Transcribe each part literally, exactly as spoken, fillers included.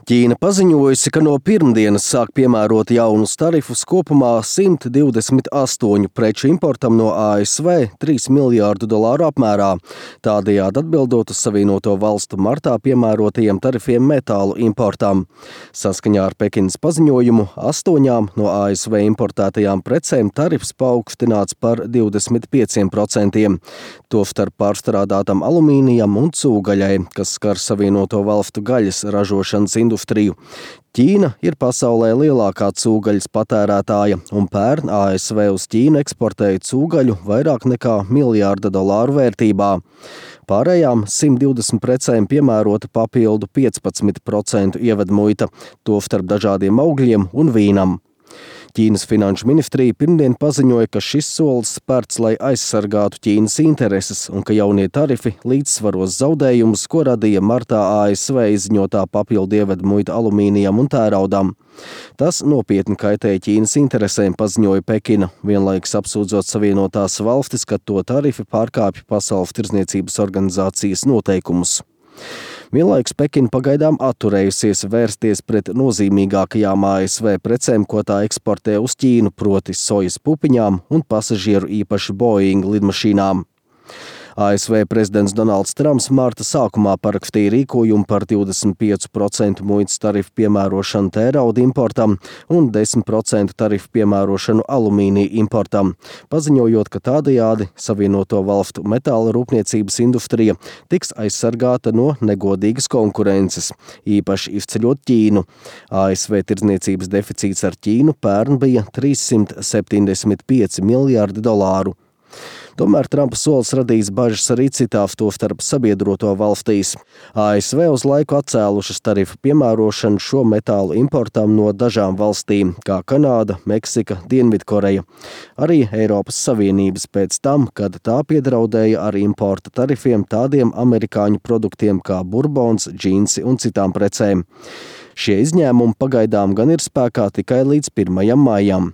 Ķīna paziņojusi, ka no pirmdienas sāk piemērot jaunus tarifus kopumā simt divdesmit astoņu preču importam no A S V trīs miljārdu dolāru apmērā, tādējādi atbildot uz Savienoto Valstu martā piemērotajiem tarifiem metālu importam. Saskaņā ar Pekinas paziņojumu astoņām no A S V importētajām precēm tarifs paaugstināts par divdesmit pieciem procentiem, tostarp pārstrādātam alumīnijam un cūgaļai, kas skar Savienoto Valstu gaļas ražošanas industriju. Ķīna ir pasaulē lielākā cūgaļas patērētāja, un pērn A S V uz Ķīnu eksportēja cūgaļu vairāk nekā miljārda dolāru vērtībā. Pārējām simt divdesmit precēm piemērota papildu piecpadsmit procentu ievedmuita, tostarp dažādiem augļiem un vīnam. Ķīnas finanšu ministrija pirmdien paziņoja, ka šis solis spērts, lai aizsargātu Ķīnas intereses un ka jaunie tarifi līdzsvaros zaudējumus, ko radīja martā A S V izziņotā papildu ievedmuita alumīnijam un tēraudam. Tas nopietni kaitēja Ķīnas interesēm, paziņoja Pekina, vienlaikus apsūdzot Savienotās Valstis, ka to tarifi pārkāpj Pasaules tirdzniecības organizācijas noteikumus. Vienlaikus Pekina pagaidām atturējusies vērsties pret nozīmīgākajām A S V precēm, ko tā eksportē uz Ķīnu, proti sojas pupiņām un pasažieru īpaši Boeing lidmašīnām. A S V prezidents Donalds Trumps marta sākumā parakstīja rīkojumu par divdesmit pieci procenti muitas tarifu piemērošanu tērauda importam un desmit procenti tarifu piemērošanu alumīnija importam, paziņojot, ka tādējādi Savienoto Valstu metāla rūpniecības industrija tiks aizsargāta no negodīgas konkurences, īpaši izceļot Ķīnu. A S V tirdzniecības deficīts ar Ķīnu pērn bija trīssimt septiņdesmit pieci miljārdi dolāru. Tomēr Trumpa solis radīs bažas arī citās, tostarp sabiedroto valstīs. A S V uz laiku atcēlušas tarifu piemērošanu šo metālu importam no dažām valstīm, kā Kanāda, Meksika, Dienvidkoreja. Arī Eiropas Savienības pēc tam, kad tā piedraudēja ar importa tarifiem tādiem amerikāņu produktiem kā burbons, džinsi un citām precēm. Šie izņēmumi pagaidām gan ir spēkā tikai līdz pirmajam maijam.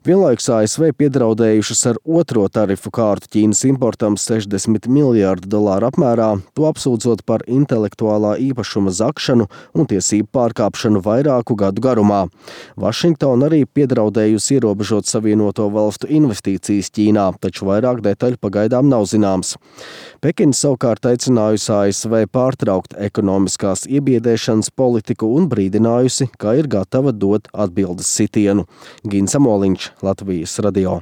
Vienlaikus A S V piedraudējušas ar otro tarifu kārtu Ķīnas importam sešdesmit miljārdu dolāru apmērā, to apsūdzot par intelektuālā īpašuma zakšanu un tiesību pārkāpšanu vairāku gadu garumā. Vašingtona arī piedraudējusi ierobežot Savienoto Valstu investīcijas Ķīnā, taču vairāk detaļu pagaidām nav zināms. Pekina savukārt aicinājusi A S V pārtraukt ekonomiskās iebiedēšanas politiku un brīdinājusi, ka ir gatava dot atbildes sitienu. Gins Amoliņš, Latvijas radio.